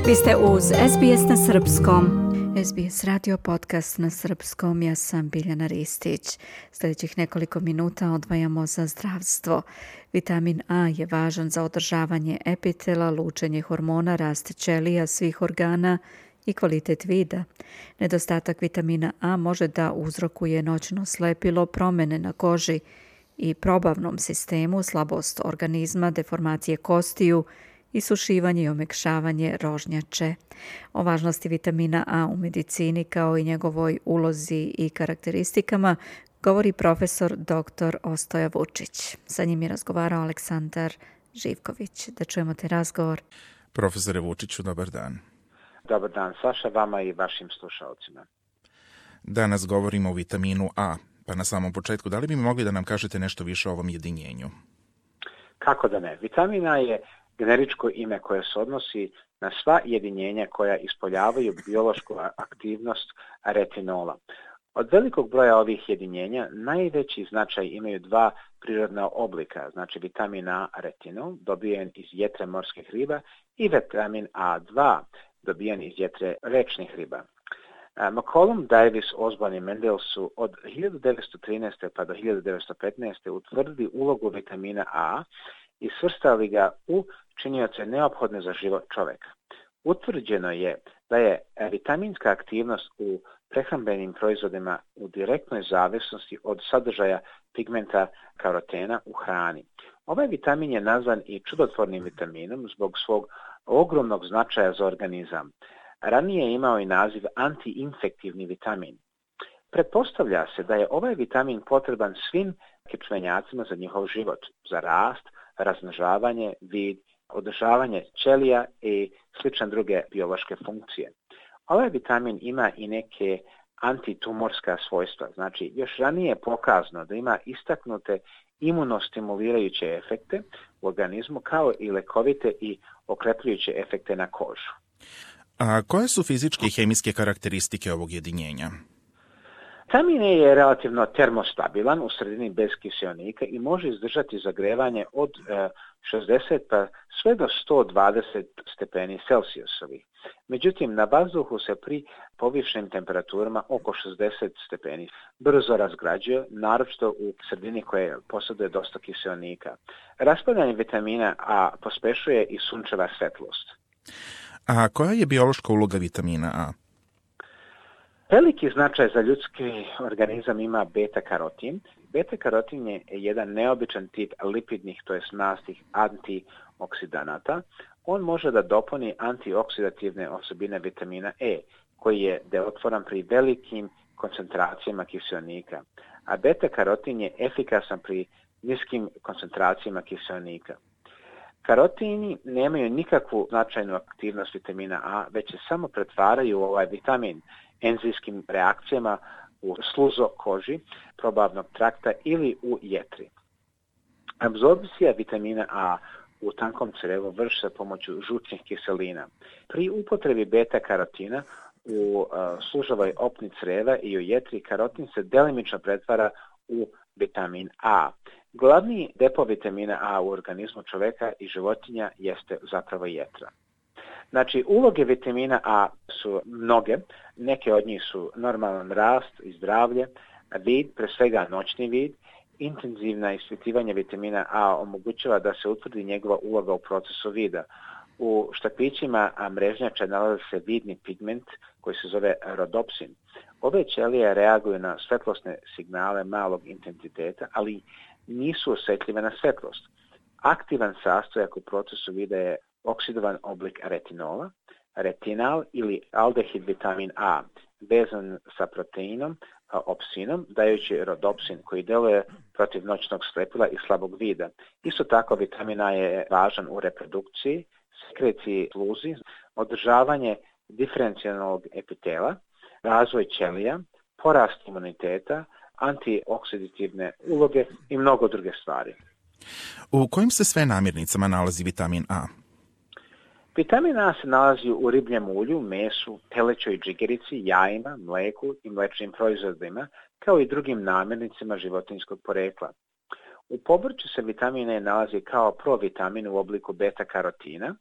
Vi ste uz SBS na srpskom. SBS radio podcast na srpskom. Ja sam Biljana Ristić. Sljedećih nekoliko minuta odvajamo za zdravstvo. Vitamin A je važan za održavanje epitela, lučenje hormona, rast ćelija svih organa i kvalitet vida. Nedostatak vitamina A može da uzrokuje noćno slepilo, promjene na koži i probavnom sistemu, slabost organizma, deformacije kostiju, isušivanje i omekšavanje rožnjače. O važnosti vitamina A u medicini kao i njegovoj ulozi i karakteristikama govori profesor dr. Ostoja Vučić. Sa njim je razgovarao Aleksandar Živković. Da čujemo te razgovor. Profesore Vučiću, dobar dan. Dobar dan, Saša, vama i vašim slušalcima. Danas govorimo o vitaminu A, pa na samom početku, da li bi mi mogli da nam kažete nešto više o ovom jedinjenju? Kako da ne? Vitamin A je generičko ime koje se odnosi na sva jedinjenja koja ispoljavaju biološku aktivnost retinola. Od velikog broja ovih jedinjenja najveći značaj imaju dva prirodna oblika, znači vitamin A retinol, dobijen iz jetre morskih riba, i vitamin A2, dobijen iz jetre rečnih riba. McCollum, Davis, Osborne i Mendel su od 1913. pa do 1915. utvrdili ulogu vitamina A i svrstali ga u činioce neophodne za život čovjeka. Utvrđeno je da je vitaminska aktivnost u prehrambenim proizvodima u direktnoj zavisnosti od sadržaja pigmenta karotena u hrani. Ovaj vitamin je nazvan i čudotvornim vitaminom zbog svog ogromnog značaja za organizam. Ranije je imao i naziv antiinfektivni vitamin. Pretpostavlja se da je ovaj vitamin potreban svim kičmenjacima za njihov život, za rast, razmnožavanje, vid, održavanje ćelija i slične druge biološke funkcije. Ovaj vitamin ima i neke antitumorska svojstva, znači još ranije je pokazano da ima istaknute imunostimulirajuće efekte u organizmu kao i lekovite i okrepljujuće efekte na kožu. A koje su fizičke i hemijske karakteristike ovog jedinjenja? Vitamin A je relativno termostabilan u sredini bez kiseonika i može izdržati zagrevanje od 60 pa sve do 120 stepeni Celzijusovih. Međutim, na vazduhu se pri povišenim temperaturama oko 60 stepeni brzo razgrađuje, naročito u sredini koje posjeduje dosta kiseonika. Raspadanje vitamina A pospešuje i sunčeva svetlost. A koja je biološka uloga vitamina A? Veliki značaj za ljudski organizam ima beta-karotin. Beta-karotin je jedan neobičan tip lipidnih, to jest mastnih antioksidanata. On može da dopuni antioksidativne osobine vitamina E, koji je delotvoran pri velikim koncentracijama kiseonika. A beta-karotin je efikasan pri niskim koncentracijama kiseonika. Karotini nemaju nikakvu značajnu aktivnost vitamina A, već se samo pretvaraju u ovaj vitamin enzimskim reakcijama u sluzo koži, probavnog trakta ili u jetri. Apsorpcija vitamina A u tankom crevu vrši se pomoću žučnih kiselina. Pri upotrebi beta-karotina u služovoj opni creva i u jetri karotin se delimično pretvara u vitamin A. Glavni depo vitamina A u organizmu čovjeka i životinja jeste zapravo jetra. Znači, uloge vitamina A su mnoge, neke od njih su normalan rast i zdravlje, vid, pre svega noćni vid. Intenzivna ispitivanje vitamina A omogućava da se utvrdi njegova uloga u procesu vida. U štapićima mrežnjača nalazi se vidni pigment koji se zove rodopsin. Ove ćelije reaguju na svetlosne signale malog intenziteta, ali nisu osjetljive na svetlost. Aktivan sastojak u procesu vida je oksidovan oblik retinola, retinal ili aldehid vitamin A, vezan sa proteinom opsinom, dajući rodopsin koji deluje protiv noćnog slepila i slabog vida. Isto tako vitamin A je važan u reprodukciji, sekreciji sluzi, održavanje diferencijalnog epitela, razvoj ćelija, porast imuniteta, antioksidativne uloge i mnogo druge stvari. U kojim se sve namirnicama nalazi vitamin A? Vitamin A se nalazi u ribljem ulju, mesu, telećoj džigerici, jajima, mleku i mlečnim proizvodima, kao i drugim namirnicama životinjskog porekla. U povrću se vitamin E nalazi kao provitamin u obliku beta-karotina,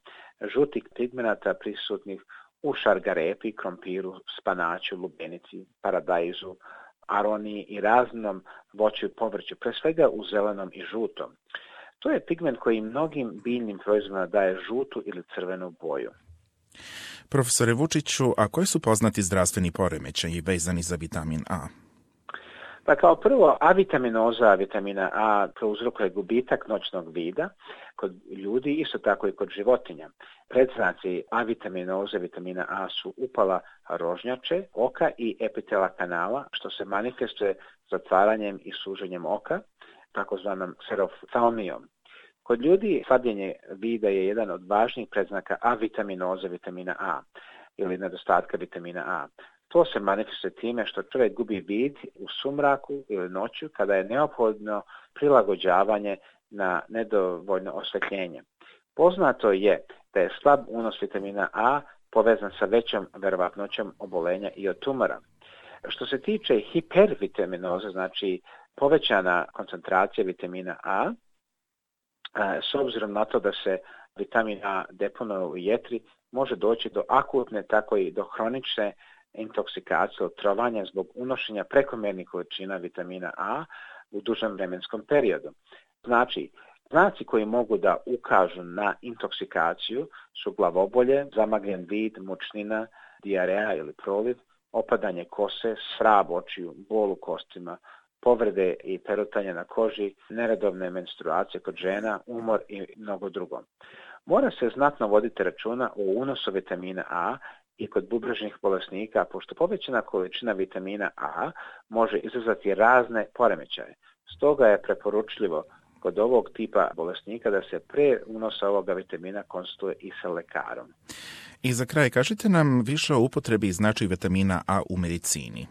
žutih pigmenata prisutnih u šargarepi, krompiru, spanaću, lubenici, paradajzu, aroniji i raznom voću i povrću, pre svega u zelenom i žutom. To je pigment koji mnogim biljnim proizvodima daje žutu ili crvenu boju. Profesore Vučiću, a koji su poznati zdravstveni poremećaji vezani za vitamin A? Pa kao prvo, avitaminoza vitamina A prouzrokuje gubitak noćnog vida kod ljudi, isto tako i kod životinja. Predznaci avitaminoze vitamina A su upala rožnjače, oka i epitela kanala, što se manifestuje zatvaranjem i suženjem oka, takozvanom kseroftalmijom. Kod ljudi slabljenje vida je jedan od važnijih predznaka avitaminoze vitamina A ili nedostatka vitamina A. To se manifestuje time što čovjek gubi vid u sumraku ili noću kada je neophodno prilagođavanje na nedovoljno osvetljenje. Poznato je da je slab unos vitamina A povezan sa većom verovatnoćom obolenja i od tumora. Što se tiče hipervitaminoze, znači povećana koncentracija vitamina A, s obzirom na to da se vitamin A deponuje u jetri, može doći do akutne, tako i do hronične intoksikacije, otrovanja zbog unošenja prekomjernih količina vitamina A u dužem vremenskom periodu. Znači, znaci koji mogu da ukažu na intoksikaciju su glavobolje, zamagljen vid, mučnina, dijareja ili proliv, opadanje kose, svrab očiju, bol u kostima, povrede i perutanje na koži, neredovne menstruacije kod žena, umor i mnogo drugo. Mora se znatno voditi računa o unosu vitamina A i kod bubrežnih bolesnika, pošto povećana količina vitamina A može izazvati razne poremećaje. Stoga je preporučljivo kod ovog tipa bolesnika da se pre unosa ovoga vitamina konsultuje i sa lekarom. I za kraj, kažite nam više o upotrebi i značaju vitamina A u medicini.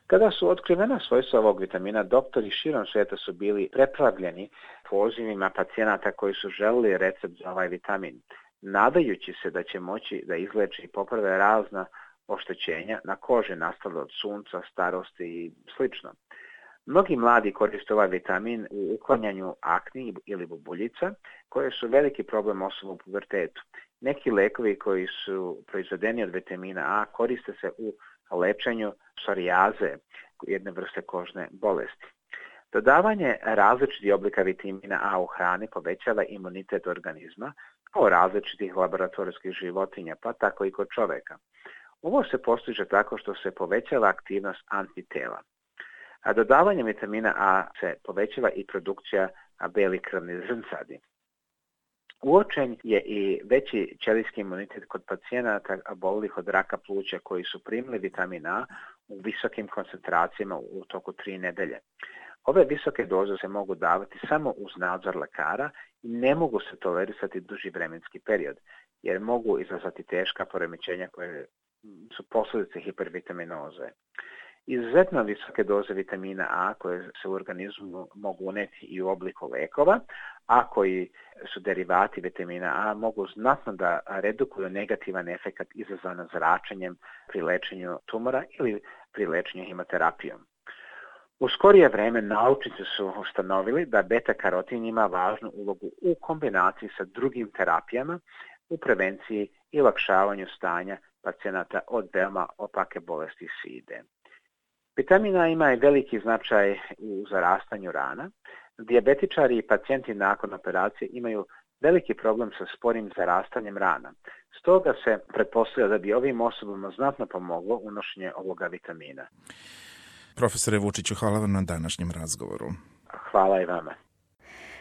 Kada su otkrivena svojstva ovog vitamina, doktori širom svijeta su bili preplavljeni pozivima pacijenata koji su želeli recept za ovaj vitamin, nadajući se da će moći da izleči i poprave razna oštećenja na koži nastale od sunca, starosti i sl. Mnogi mladi koriste ovaj vitamin u uklanjanju akni ili bubuljica, koje su veliki problem osoba u pubertetu. Neki lekovi koji su proizvedeni od vitamina A koriste se u lečenju psorijaze, jedne vrste kožne bolesti. Dodavanje različitih oblika vitamina A u hrani povećava imunitet organizma kao različitih laboratorijskih životinja, pa tako i kod čoveka. Ovo se postiže tako što se povećava aktivnost antitela. A dodavanjem vitamina A se povećava i produkcija belih krvnih zrncadi. Uočen je i veći ćelijski imunitet kod pacijenata oboljelih od raka pluća koji su primili vitamin A u visokim koncentracijama u toku 3 nedelje. Ove visoke doze se mogu davati samo uz nadzor lekara i ne mogu se tolerisati duži vremenski period, jer mogu izazvati teška poremećenja koje su posljedice hipervitaminoze. Izuzetno visoke doze vitamina A koje se u organizmu mogu uneti i u obliku lekova, a koji su derivati vitamina A, mogu znatno da redukuju negativan efekt izazvan zračenjem pri lečenju tumora ili pri lečenju hemoterapijom. U skorije vreme naučnici su ustanovili da beta-karotin ima važnu ulogu u kombinaciji sa drugim terapijama u prevenciji i olakšavanju stanja pacijenata od veoma opake bolesti side. Vitamin A ima i veliki značaj u zarastanju rana. Dijabetičari i pacijenti nakon operacije imaju veliki problem sa sporim zarastanjem rana. Stoga se pretpostavlja da bi ovim osobama znatno pomoglo unošenje ovoga vitamina. Profesore Vučiću, hvala vam na današnjem razgovoru. Hvala i vama.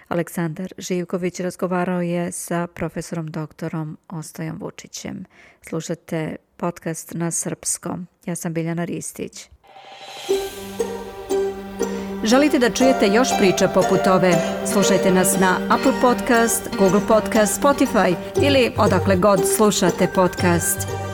Aleksandar Živković razgovarao je sa profesorom doktorom Ostojom Vučićem. Slušate podcast na srpskom. Ja sam Biljana Ristić. Želite da čujete još priča poput ove? Slušajte nas na Apple Podcast, Google Podcast, Spotify ili odakle god slušate podcast.